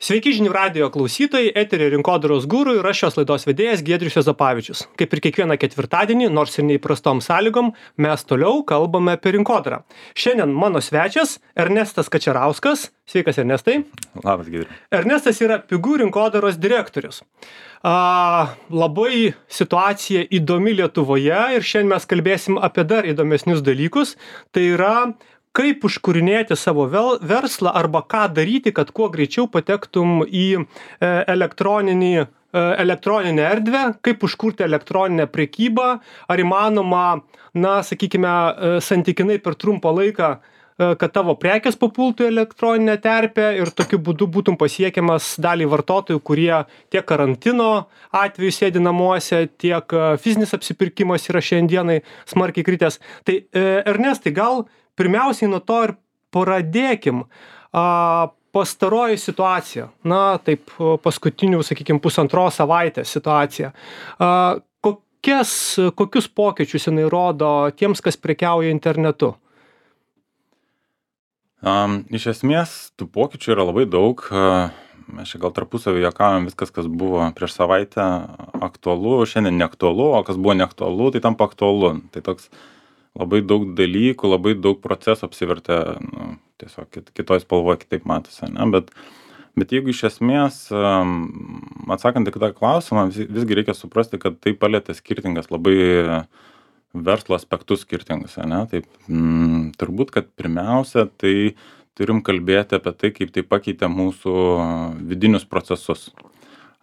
Sveiki žinių radijo klausytojai, eteryje Rinkodaros guru ir aš šios laidos vedėjas Giedrius Juozapavičius. Kaip ir kiekvieną ketvirtadienį, nors ir neįprastom sąlygom, mes toliau kalbame apie rinkodarą. Šiandien mano svečias Ernestas Kačerauskas. Sveikas, Ernestai. Labas, Giedrius. Ernestas yra Pigų rinkodaros direktorius. Labai situacija įdomi Lietuvoje ir šiandien mes kalbėsim apie dar įdomesnius dalykus. Tai yra kaip užkūrinėti savo verslą arba ką daryti, kad kuo greičiau patektum į elektroninę erdvę, kaip užkurti elektroninę prekybą, ar įmanoma, santykinai per trumpą laiką, kad tavo prekės papultų į elektroninę terpę ir tokiu būdu būtum pasiekiamas daliai vartotojų, kurie tiek karantino atveju sėdi namuose, tiek fizinis apsipirkimas yra šiandienai smarkiai kritęs. Tai Ernestai, gal pirmiausiai nuo to ir pradėkim. Pastaroji situacija, paskutinių, pusantros savaitės situacija. Kokius pokyčius jinai rodo tiems, kas prekiauja internetu? Iš esmės, tų pokyčių yra labai daug. Mes čia gal tarpusavį juokaujam, viskas, kas buvo prieš savaitę aktualu, šiandien neaktualu, o kas buvo neaktualu, tai tampa aktualu. Tai toks labai daug dalykų, labai daug procesų apsivertė, tiesiog kitoj spalvoje kitaip matosi, ne? Bet jeigu iš esmės, atsakant į kitą klausimą, visgi reikia suprasti, kad tai palietė skirtingas labai verslo aspektus skirtingus, ne? Taip, turbūt, kad pirmiausia, tai turim kalbėti apie tai, kaip tai pakeitė mūsų vidinius procesus.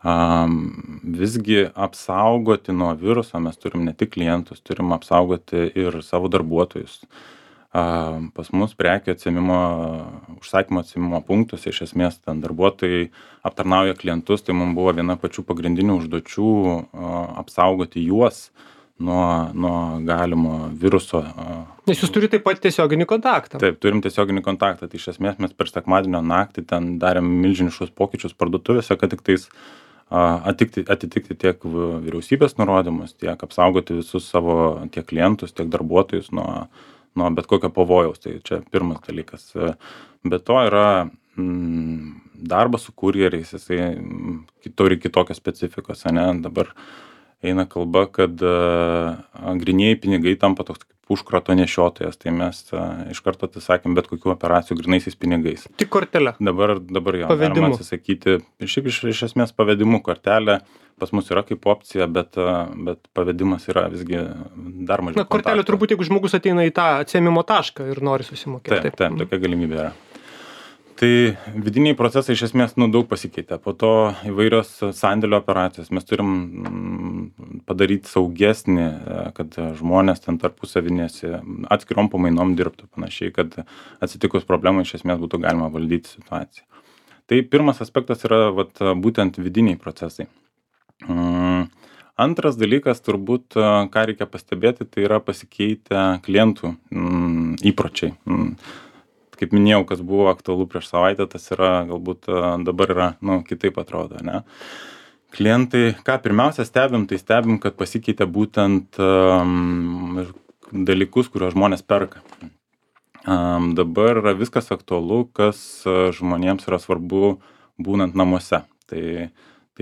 Visgi apsaugoti nuo viruso mes turim ne tik klientus, turim apsaugoti ir savo darbuotojus. Pas mus prekių atsiėmimo, užsakymo atsiėmimo punktus, iš esmės ten darbuotojai aptarnauja klientus, tai mums buvo viena pačių pagrindinių užduočių apsaugoti juos nuo galimo viruso. Nes jūs turite taip pat tiesioginį kontaktą. Taip, turim tiesioginį kontaktą. Tai iš esmės mes per sekmadienio naktį ten darėm milžiniškus pokyčius parduotuvėse, kad tik tais atitikti tiek vyriausybės nurodymus, tiek apsaugoti visus savo tiek klientus, tiek darbuotojus nuo bet kokio pavojaus. Tai čia pirmas dalykas. Be to yra darbas su kurjeriais, jisai turi kitokios specifikos, ne? Dabar eina kalba, kad grynieji pinigai tampa toks kaip užkrato nešiotojas, tai mes iš karto atsisakėm bet kokių operacijų grynaisiais pinigais. Tik kortelę. Dabar jo, galima atsisakyti, šiaip iš esmės pavedimu kortelę pas mus yra kaip opcija, bet pavedimas yra visgi dar mažiau. Kortelė turbūt, jeigu žmogus ateina į tą atsiėmimo tašką ir nori susimokėti. Taip, tokia galimybė yra. Tai vidiniai procesai iš esmės daug pasikeitė. Po to įvairios sandėlio operacijos. Mes turim padaryti saugesnį, kad žmonės ten tarpusavinėse atskirom pamainom dirbtų panašiai, kad atsitikus problemai iš esmės būtų galima valdyti situaciją. Tai pirmas aspektas yra būtent vidiniai procesai. Antras dalykas turbūt, ką reikia pastebėti, tai yra pasikeitę klientų įpročiai. Kaip minėjau, kas buvo aktualu prieš savaitę, tas yra galbūt dabar yra, kitaip atrodo, ne? Klientai, ką pirmiausia stebim, tai stebim, kad pasikeitė būtent dalykus, kuriuos žmonės perka. Dabar yra viskas aktualu, kas žmonėms yra svarbu būnant namuose. Tai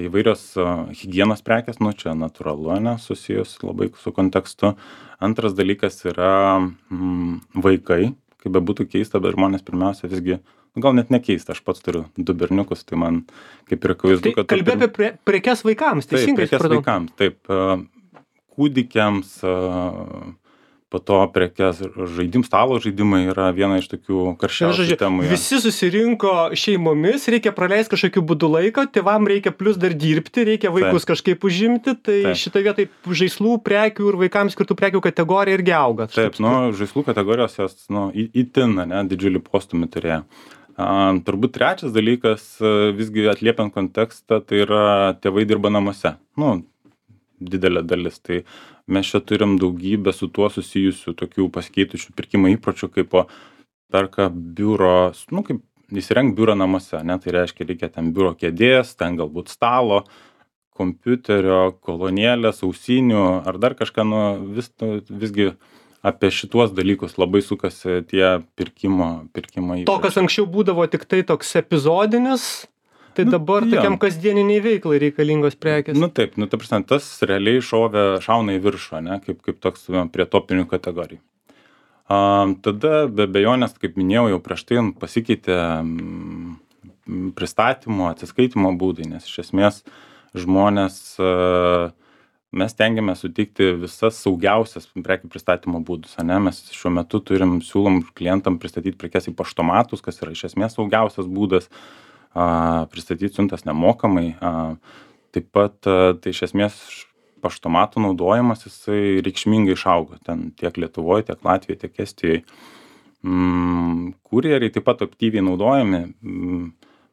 įvairios higienos prekės, čia natūralu, ne, susijus labai su kontekstu. Antras dalykas yra vaikai. Kaip bebūtų keista, bet žmonės pirmiausia visgi, gal net nekeista, aš pats turiu 2 berniukus, tai man kaip ir akivaizdu, kad... Kalbė apie prekes vaikams, teisingai? Taip, prekes vaikams, taip. Kūdikiams, po to prekes stalo žaidimai yra viena iš tokių karščiausių temų. Visi susirinko šeimomis, reikia praleisti kažkokiu būdu laiką, tėvam reikia plus dar dirbti, reikia vaikus kažkaip užimti, tai šitą vietą žaislų prekių ir vaikams skirtų prekių kategorija irgi auga. Taip, žaislų kategorijos jos itin, didžiulį postumį turėjo. Turbūt trečias dalykas, visgi atliepiant kontekstą, tai yra tėvai dirba namuose. Didelė dalis. Tai mes čia turim daugybę su tuo susijusių tokių pasikeitusių pirkimo įpročių, kaip perka biuro, kaip įsirengt biurą namuose, ne? Tai reiškia, reikia ten biuro kėdės, ten galbūt stalo, kompiuterio, kolonėlės, ausinių ar dar kažką, visgi apie šituos dalykus labai sukasi tie pirkimo įpročiai. To, kas anksčiau būdavo tik tai toks epizodinis, Tai dabar tokiam kasdieniniai veiklai reikalingos prekės. Taip, ta prasme, tas realiai šauna į viršų, ne, kaip toks prie topinių kategorijų. Tada be abejonės, kaip minėjau, jau prieš tai pasikeitė pristatymo, atsiskaitimo būdai, nes iš esmės žmonės, mes stengiamės suteikti visas saugiausias prekių pristatymo būdus, ne, mes šiuo metu siūlom klientam pristatyti prekes į paštomatus, kas yra iš esmės saugiausias būdas, pristatyti siuntas nemokamai. Taip pat, tai iš esmės paštomatų naudojimas jisai reikšmingai išaugo, ten tiek Lietuvoje, tiek Latvijoje, tiek Estijoje. Kurjeriai taip pat aktyviai naudojami,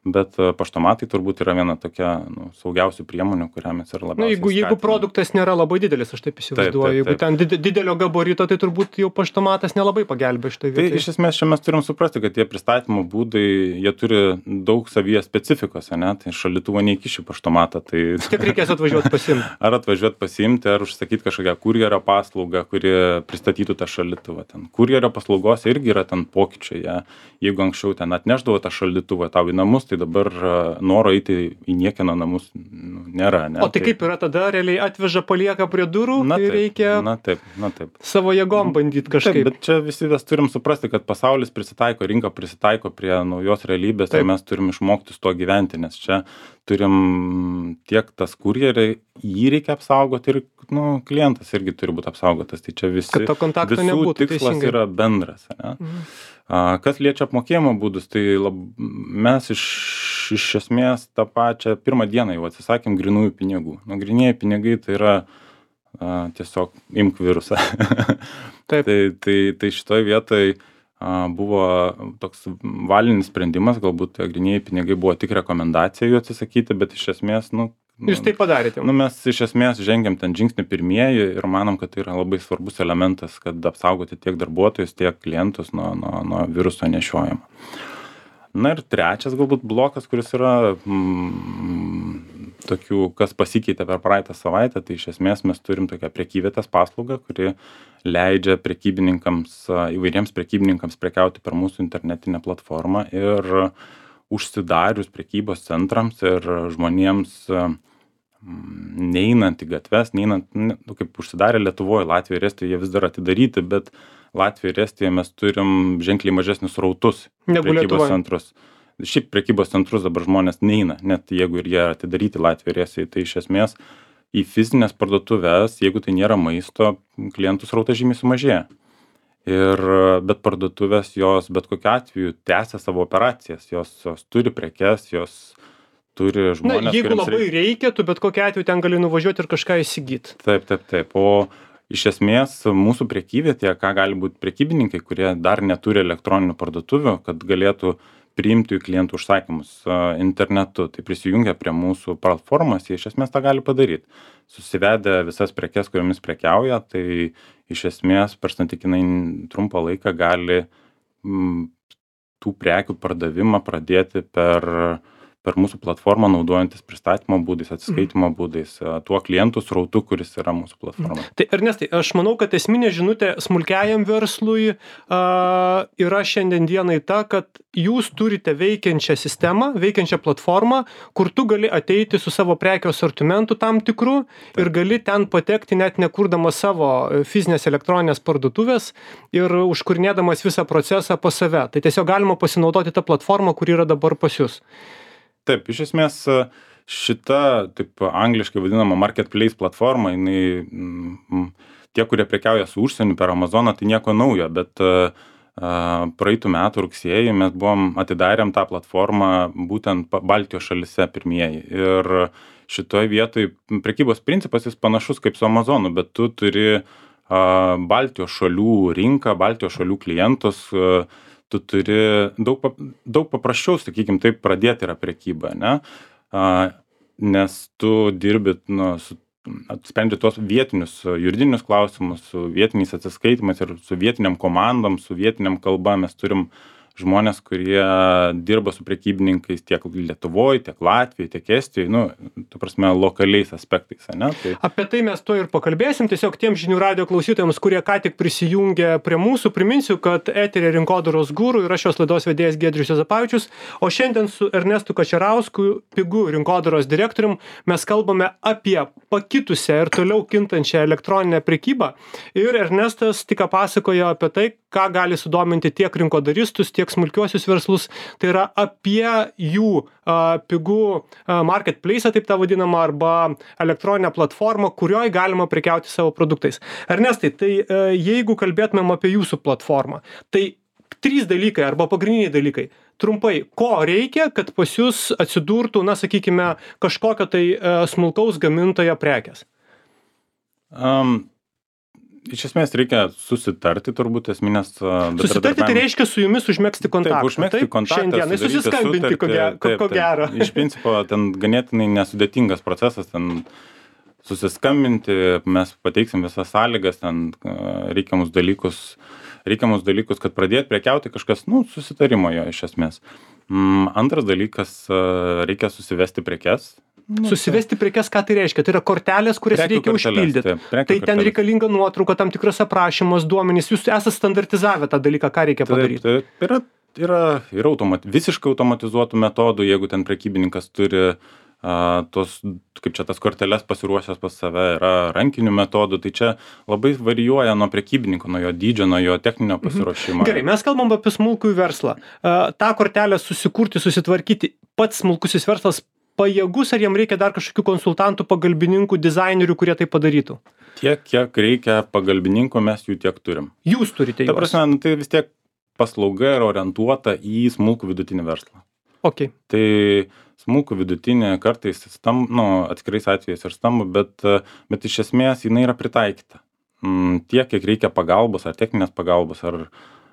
bet paštomatai turbūt yra viena tokia saugiausių priemonių, kurią mes ir labiausiai skatiname. Jeigu produktas nėra labai didelis, aš taip įsivaizduoju, jeigu ten didelio gabarito, tai turbūt jau paštomatas nelabai pagelbė šitoj vietoj. Tai iš esmės čia mes turim suprasti, kad tie pristatymo būdai, jie turi daug savyje specifikos, ne? Tai šaldytuvo neįkiši paštomatą. Tai tiek reikės atvažiuoti pasiimti. Ar atvažiuoti pasiimti, ar užsakyti kažkokią kurjerio paslaugą, kuri pristatytų tą šaldytuvą. Ten kurjerio paslaugos irgi yra ten pokyčiai. Jeigu anksčiau ten atnešdavo tą šaldytuvą tau į namus, tai dabar noro eiti į niekieno namus nėra. Ne? O tai kaip yra tada, realiai atveža, palieka prie durų, tai reikia savo jėgom bandyti kažkaip. Taip, bet čia visi turim suprasti, kad pasaulis prisitaiko, rinka prisitaiko prie naujos realybės ir mes turim išmokti su tuo gyventi, nes čia turim tiek tas kurjeriai, jį reikia apsaugoti ir klientas irgi turi būti apsaugotas. Tai čia visų tikslas yra bendras. Ne? Kas liečia apmokėjimo būdus, tai mes iš esmės tą pačią pirmą dieną jau atsisakėm grynųjų pinigų. Grynieji pinigai tai yra tiesiog imk virusą. Tai šitoj vietoj buvo toks valinis sprendimas, galbūt grynieji pinigai buvo tik rekomendacija jų atsisakyti, bet iš esmės, jūs tai padarėte. Mes iš esmės žengiam ten žingsnį pirmieji ir manom, kad tai yra labai svarbus elementas, kad apsaugoti tiek darbuotojus, tiek klientus nuo viruso nešiojimo. Na ir trečias galbūt blokas, kuris yra tokių, kas pasikeitė per praeitą savaitę, tai iš esmės mes turim tokią prekyvietės paslaugą, kuri leidžia įvairiems prekybininkams prekiauti per mūsų internetinę platformą ir užsidarius prekybos centrams ir žmonėms neinant į gatves, kaip užsidarė Lietuvoje, Latvijoje ir Estijoje, jie vis dar atidaryti, bet Latvijoje ir Estijoje mes turim ženkliai mažesnius srautus prekybos centrus. Šiaip prekybos centrus dabar žmonės neina, net jeigu ir jie atidaryti Latvijoje ir Estijoje, tai iš esmės į fizinės parduotuves, jeigu tai nėra maisto, klientų srautas žymiai sumažėja. Bet parduotuvės jos bet kokiu atveju tęsia savo operacijas, jos turi prekes, jos turi žmonės. Jeigu labai reikia, tu bet kokiu atveju ten gali nuvažiuoti ir kažką įsigyti. Taip. O iš esmės mūsų prekyvietėje, ką gali būti prekybininkai, kurie dar neturi elektroninių parduotuvių, kad galėtų priimti klientų užsakymus internetu, tai prisijungia prie mūsų platformos, jie iš esmės tą gali padaryti. Susivedę visas prekes, kuriomis prekiauja, tai iš esmės per santykinai trumpą laiką gali tų prekių pardavimą pradėti per mūsų platformą, naudojantis pristatymo būdais, atsiskaitimo būdais, tuo klientų srautu, kuris yra mūsų platforma. Tai Ernestai, aš manau, kad esminė žinutė smulkiajam verslui yra šiandien dienai ta, kad jūs turite veikiančią sistemą, veikiančią platformą, kur tu gali ateiti su savo prekių asortimentu tam tikru ir gali ten patekti net nekurdamas savo fizinės elektroninės parduotuvės ir užkurnėdamas visą procesą pas save. Tai tiesiog galima pasinaudoti tą platformą, kuri yra dabar pas jūs. Taip, iš esmės šita, taip angliškai vadinama marketplace platforma, tie, kurie prekiauja su užsieniu per Amazoną, tai nieko naujo, bet praeitų metų rugsėjį mes atidarėm tą platformą būtent Baltijos šalyse pirmieji. Ir šitoj vietoj prekybos principas jis panašus kaip su Amazonu, bet tu turi Baltijos šalių rinką, Baltijos šalių klientus, tu turi daug paprasčiau, sakykim, taip pradėti yra prekyba, ne? Nes tu dirbi, sprendži tuos vietinius juridinius klausimus, su vietiniais atsiskaitimais ir su vietiniam komandom, su vietiniam kalba. Mes turim žmonės, kurie dirba su prekybininkais tiek Lietuvoje, tiek Latvijoje, tiek Estijoje, nu, ta prasme, lokaliais aspektais, ne? Tai... Apie tai mes to ir pakalbėsim. Tiesiog tiem žinių radio klausytojams, kurie ką tik prisijungė prie mūsų, priminsiu, kad eteryje Rinkodaros guru yra šios laidos vedėjas Giedrius Juozapavičius, o šiandien su Ernestu Kačerausku, Pigu rinkodaros direktorium, mes kalbame apie pakitusią ir toliau kintančią elektroninę prekybą. Ir Ernestas tik pasakojo apie tai, ką gali sudominti tiek rinkodaristus, tiek smulkiuosius verslus. Tai yra apie jų Pigu marketplace, taip tą vadinamą, arba elektroninę platformą, kurioje galima prekiauti savo produktais. Ernestai, tai jeigu kalbėtumėm apie jūsų platformą, tai 3 dalykai arba pagrindiniai dalykai. Trumpai, ko reikia, kad pas jūs atsidurtų, na, sakykime, kažkokio tai smulkaus gamintojo prekės? Iš esmės reikia susitarti, turbūt esminės... Susitarti tai reiškia su jumis užmegzti kontaktą. Taip, užmegzti kontaktą. Šiandien susiskambinti, ko gero. Iš principo, ten ganėtinai nesudėtingas procesas, ten susiskambinti, mes pateiksim visas sąlygas, ten reikiamus dalykus, kad pradėti prekiauti kažkas, nu, susitarimo jo iš esmės. Antras dalykas, reikia susivesti prekes. Susivesti prekes, ką tai reiškia? Tai yra kortelės, kurias reikia užpildyti. Tai ten reikalinga nuotrauka, tam tikras aprašymas, duomenys. Jūs esate standartizavę tą dalyką, ką reikia padaryti. Yra visiškai automatizuotų metodų, jeigu ten prekybininkas turi kaip čia tas korteles pasiruošęs pas save, yra rankinių metodų, tai čia labai varijuoja nuo prekybininko, nuo jo dydžio, nuo jo techninio pasiruošimo. Gerai, mes kalbam apie smulkųjį verslą. Ta kortelę susikurti, susitvarkyti, pats smulkusis verslas pajėgus, ar jam reikia dar kažkokių konsultantų, pagalbininkų, dizainerių, kurie tai padarytų? Tiek, kiek reikia pagalbininkų, mes jų tiek turim. Jūs turite juos? Ta prasme, tai vis tiek paslauga yra orientuota į smulkų vidutinį verslą. Okay. Tai smulkų vidutinį kartais atskirais atvejais ir stambų, bet iš esmės jinai yra pritaikyta. Tiek, kiek reikia pagalbos, ar techninės pagalbos, ar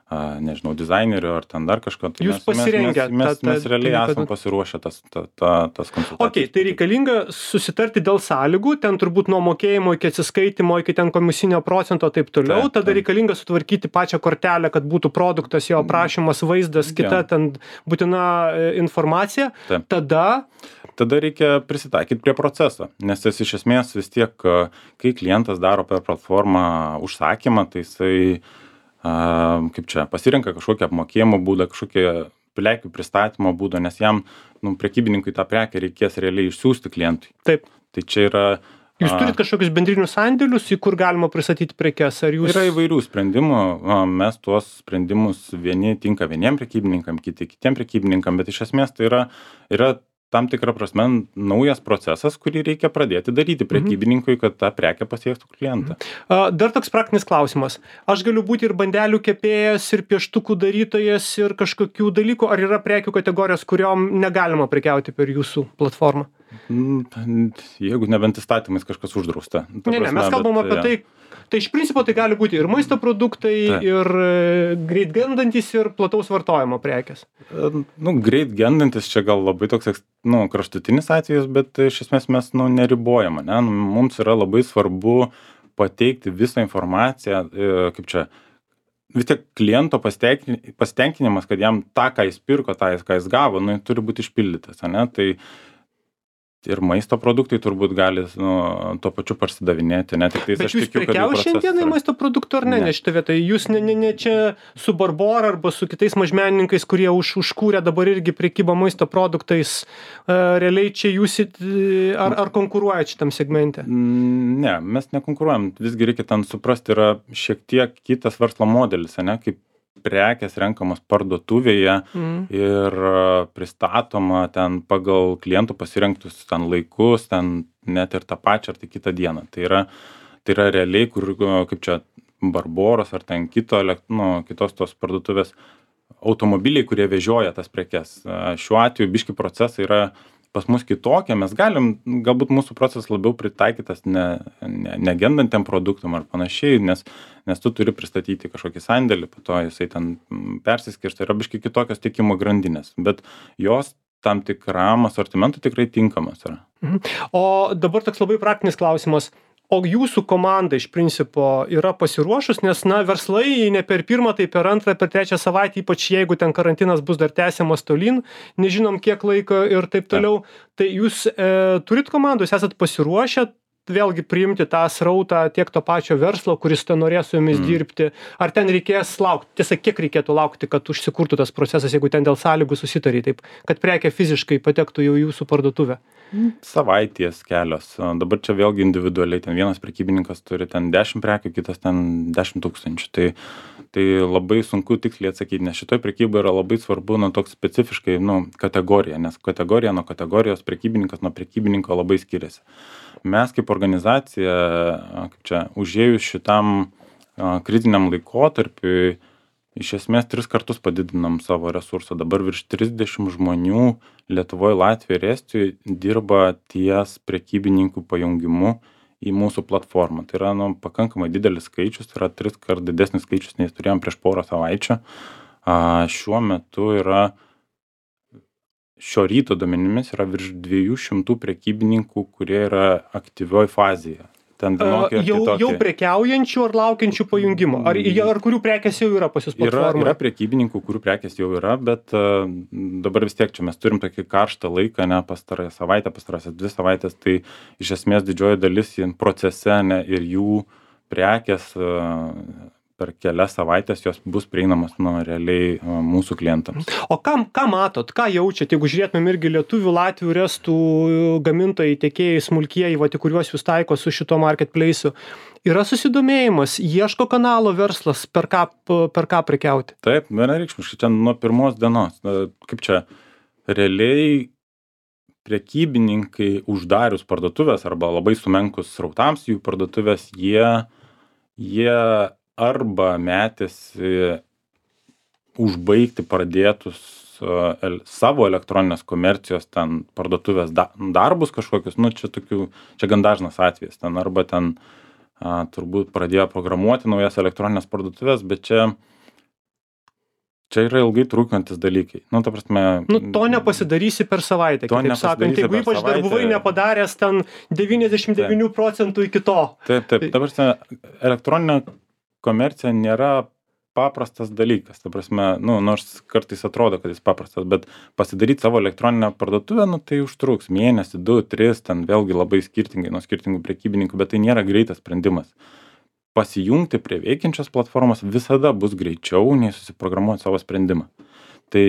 nežinau, dizainerių, ar ten dar kažko. Tai jūs pasirengę. Mes realiai esame pasiruošę tas konsultacijas. Okay, tai reikalinga susitarti dėl sąlygų, ten turbūt nuo mokėjimo iki atsiskaitimo, iki ten komisinio procento, taip toliau. Tada reikalinga sutvarkyti pačią kortelę, kad būtų produktas, jo aprašymas, vaizdas, kita ten būtina informacija. Tada reikia prisitaikyti prie proceso, nes jis iš esmės vis tiek, kai klientas daro per platformą užsakymą, tai jisai pasirenka kažkokį apmokėjimo būdą, kažkokį prekių pristatymo būdą, nes jam, prekybininkui tą prekę reikės realiai išsiųsti klientui. Taip. Tai čia yra... Jūs turit kažkokius bendrinius sandėlius, į kur galima pristatyti prekes? Yra įvairių sprendimų, mes tuos sprendimus vieni tinka vieniem prekybininkam, kitiem prekybininkam, bet iš esmės tai yra tam tikrą prasme naujas procesas, kurį reikia pradėti daryti prekybininkui, kad ta prekė pasiektų klientą. Dar toks praktinis klausimas. Aš galiu būti ir bandelių kepėjas, ir pieštukų darytojas, ir kažkokių dalykų, ar yra prekių kategorijos, kuriom negalima prekiauti per jūsų platformą? Jeigu nebent įstatymais kažkas uždrausta. Mes kalbam apie tai. Tai iš principo tai gali būti ir maisto produktai, ir greit gendantys, ir plataus vartojimo prekės. Greit gendantis čia gal labai toks kraštutinis atvejis, bet iš esmės mes neribojama. Ne? Mums yra labai svarbu pateikti visą informaciją, vis tiek kliento pasitenkinimas, kad jam tą, ką jis pirko, tą, ką jis gavo, turi būti išpildytas. Ne? Tai ir maisto produktai turbūt gali tuo pačiu parsidavinėti. Bet jūs prekiauja šiandienai maisto produktų ar ne? Ne šitą vietą. Jūs ne čia su Barbora arba su kitais mažmenininkais, kurie užkūrė dabar irgi prekybą maisto produktais. Realiai čia jūs ar konkuruojate šitam segmente? Ne, mes nekonkuruojam. Visgi reikia ten suprasti, yra šiek tiek kitas verslo modelis, ne? Kaip prekės renkamos parduotuvėje ir pristatoma ten pagal klientų pasirinktus ten laikus, ten net ir tą pačią ar tai kitą dieną. Tai yra realiai, kur kaip čia Barboros ar ten kitos tos parduotuvės automobiliai, kurie vežioja tas prekes. Šiuo atveju biški procesai yra pas mus kitokie, mes galim, galbūt mūsų procesas labiau pritaikytas negendantiem produktam ar panašiai, nes tu turi pristatyti kažkokį sandėlį, po to jisai ten persiskirsto, yra biškai kitokios tiekimo grandinės, bet jos tam tikram asortimentui tikrai tinkamas yra. O dabar toks labai praktinis klausimas. O jūsų komanda iš principo yra pasiruošus, nes, na, verslai ne per pirmą, tai per antrą, per trečią savaitę, ypač jeigu ten karantinas bus dar tęsiamas tolyn, nežinom kiek laiko ir taip toliau. Tai jūs turit komandų, jūs esat pasiruošę vėlgi priimti tą srautą tiek to pačio verslo, kuris ten norės su jumis dirbti, ar ten reikės laukti, tiesa, kiek reikėtų laukti, kad užsikurtų tas procesas, jeigu ten dėl sąlygų susitari, taip, kad prekė fiziškai patektų jau į jūsų parduotuvę? Savaitės kelios. Dabar čia vėlgi individualiai, ten vienas prekybininkas turi ten 10 prekių, kitas ten 10 000. Tai labai sunku tiksliai atsakyti, nes šitoj prekyboje yra labai svarbu, toks specifiškai, kategorija, nes kategorija nuo kategorijos, prekybininkas nuo prekybininko labai skiriasi. Mes kaip organizacija, užėjus šitam kritiniam laikotarpiui, iš esmės 3 kartus padidinam savo resursą. Dabar virš 30 žmonių Lietuvoje, Latvijoje ir Estijoje dirba ties prekybininkų pajungimu į mūsų platformą. Tai yra pakankamai didelis skaičius, tai yra 3 kart didesnis skaičius, nei turėjom prieš porą savaičių. Šiuo metu šio ryto duomenimis yra virš 200 prekybininkų, kurie yra aktyvioj fazėje. Jau prekiaujančių ar laukiančių pajungimo? Ar kurių prekės jau yra pas jūs platformoje? Yra prekybininkų, kurių prekės jau yra, bet dabar vis tiek čia mes turim tokį karštą laiką, pastarąją savaitę, pastarąsias 2 savaitės, tai iš esmės didžioji dalis procese ir jų prekės per kelias savaitės jos bus prieinamos realiai mūsų klientams. O ką matot, ką jaučiat, jeigu žiūrėtumėm irgi lietuvių, latvių ir estų gamintojai, tiekėjai, smulkieji, kuriuos jūs taiko su šito marketplace'u, yra susidomėjimas, ieško kanalo verslas, per ką prekiauti? Taip, vienareikšmiškai, čia nuo pirmos dienos. Kaip čia, realiai prekybininkai uždarius parduotuvės arba labai sumenkus srautams jų parduotuvės, jie arba metėsi užbaigti pradėtus savo elektroninės komercijos ten parduotuvės darbus kažkokius, čia gan dažnas atvejis, arba turbūt pradėjo programuoti naujas elektroninės parduotuvės, bet čia yra ilgai trunkantis dalykai. Ta prasme, to nepasidarysi per savaitę, kitaip sakant, jeigu ypač dar buvai nepadaręs ten 99% iki to. Taip, ta prasme, elektroninė komercija nėra paprastas dalykas. Ta prasme, nors kartais atrodo, kad jis paprastas, bet pasidaryti savo elektroninę parduotuvę, tai užtruks mėnesį, 2, 3, ten vėlgi labai skirtingai nuo skirtingų prekybininkų, bet tai nėra greitas sprendimas. Pasijungti prie veikiančios platformos visada bus greičiau, nei susiprogramuoti savo sprendimą. Tai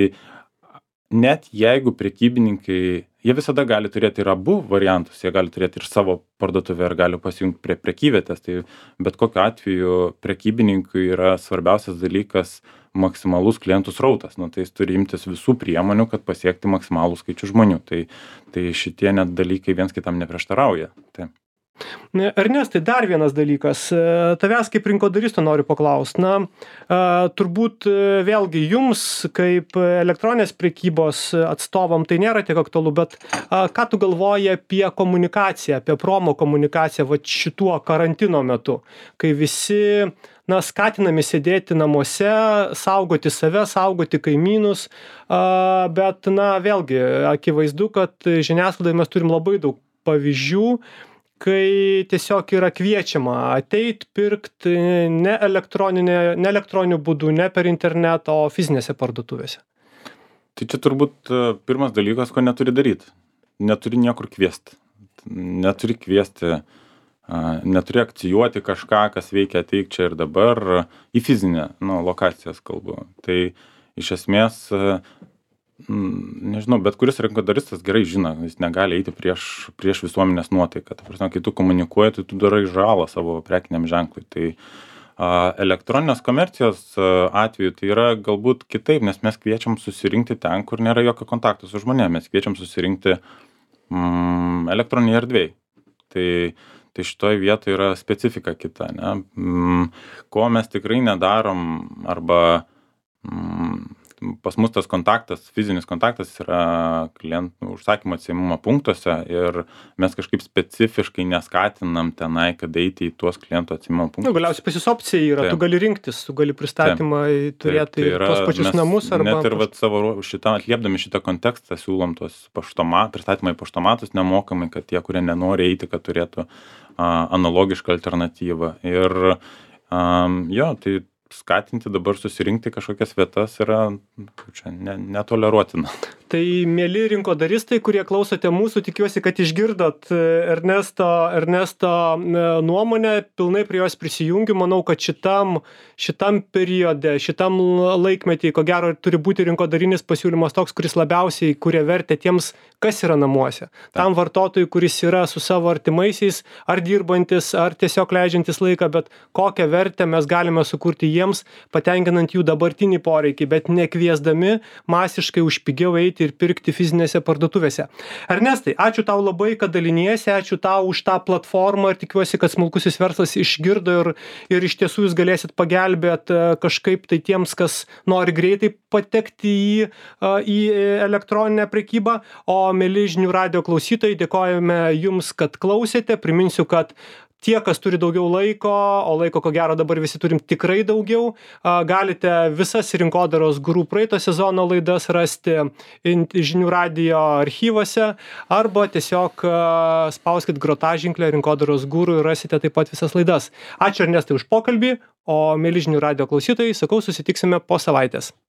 net jeigu prekybininkai, jie visada gali turėti ir abu variantus, jie gali turėti ir savo parduotuvę ir gali pasijungti prie prekyvietės, tai bet kokiu atveju prekybininkui yra svarbiausias dalykas maksimalus klientų srautas, tai jis turi imtis visų priemonių, kad pasiekti maksimalų skaičių žmonių, tai šitie net dalykai viens kitam neprieštarauja. Tai. Ernestai, dar vienas dalykas, tavęs kaip rinkodaristo noriu paklausti, turbūt vėlgi jums kaip elektroninės prekybos atstovam tai nėra tiek aktualu, bet ką tu galvoji apie komunikaciją, apie promo komunikaciją šituo karantino metu, kai visi skatinami sėdėti namuose, saugoti save, saugoti kaimynus, bet vėlgi akivaizdu, kad žiniasklaidoje mes turim labai daug pavyzdžių, kai tiesiog yra kviečiama ateit, pirkt ne elektroniniu būdu, ne per internetą, o fizinėse parduotuvėse. Tai čia turbūt pirmas dalykas, ko neturi daryti. Neturi niekur kviesti. Neturi akcijuoti kažką, kas veikia ateik čia ir dabar, į fizinę lokacijas kalbu. Tai iš esmės nežinau, bet kuris rinkodaristas gerai žino, jis negali eiti prieš visuomenės nuotaiką. Ta prasme, kai tu komunikuoji, tai tu darai žalą savo prekiniam ženklui. Tai elektroninės komercijos atveju tai yra galbūt kitaip, nes mes kviečiam susirinkti ten, kur nėra jokio kontakto su žmonėmis. Mes kviečiam susirinkti elektroninėje erdvėje. Tai šitoje vietoje yra specifika kita. Ko mes tikrai nedarom arba pas mus tas kontaktas, fizinis kontaktas yra klientų užsakymo atsiėmimo punktuose ir mes kažkaip specifiškai neskatinam tenai, kad eiti į tuos klientų atsiėmimo punktus. Galiausiai pas jūs opcija yra, tu gali rinktis, tu gali pristatymą turėti tos pačius namus arba... Net ir atliepdami šitą kontekstą siūlom tos pristatymą į paštomatus nemokamai, kad tie, kurie nenori eiti, kad turėtų analogišką alternatyvą. Ir tai skatinti dabar susirinkti kažkokias vietas yra čia netoleruotina. Tai mėly rinkodaristai, kurie klausote mūsų, tikiuosi, kad išgirdot Ernesto nuomonę, pilnai prie jos prisijungiu. Manau, kad šitam periode, šitam laikmetį, ko gero, turi būti rinkodarinis pasiūlymas toks, kuris labiausiai kuria vertę tiems, kas yra namuose. Tam vartotojui, kuris yra su savo artimaisiais, ar dirbantis, ar tiesiog leidžiantis laiką, bet kokią vertę mes galime sukurti jiems, patenkinant jų dabartinį poreikį, bet nekviesdami masiškai už pigiau eiti ir pirkti fizinėse parduotuvėse. Ernestai, ačiū tau labai, kad daliniesi, ačiū tau už tą platformą ir tikiuosi, kad smulkusis verslas išgirdo ir iš tiesų jūs galėsit pagelbėti kažkaip tai tiems, kas nori greitai patekti į elektroninę prekybą. O mieli žinių radijo klausytojai, dėkojame jums, kad klausėte. Priminsiu, kad tie, kas turi daugiau laiko, o laiko ko gero dabar visi turim tikrai daugiau, galite visas rinkodaros guru praeito sezono laidas rasti žinių radijo archyvuose arba tiesiog spauskit grotaženklę rinkodaros guru ir rasite taip pat visas laidas. Ačiū Ernestai už pokalbį, o mieli žinių radijo klausytojai, sakau, susitiksime po savaitės.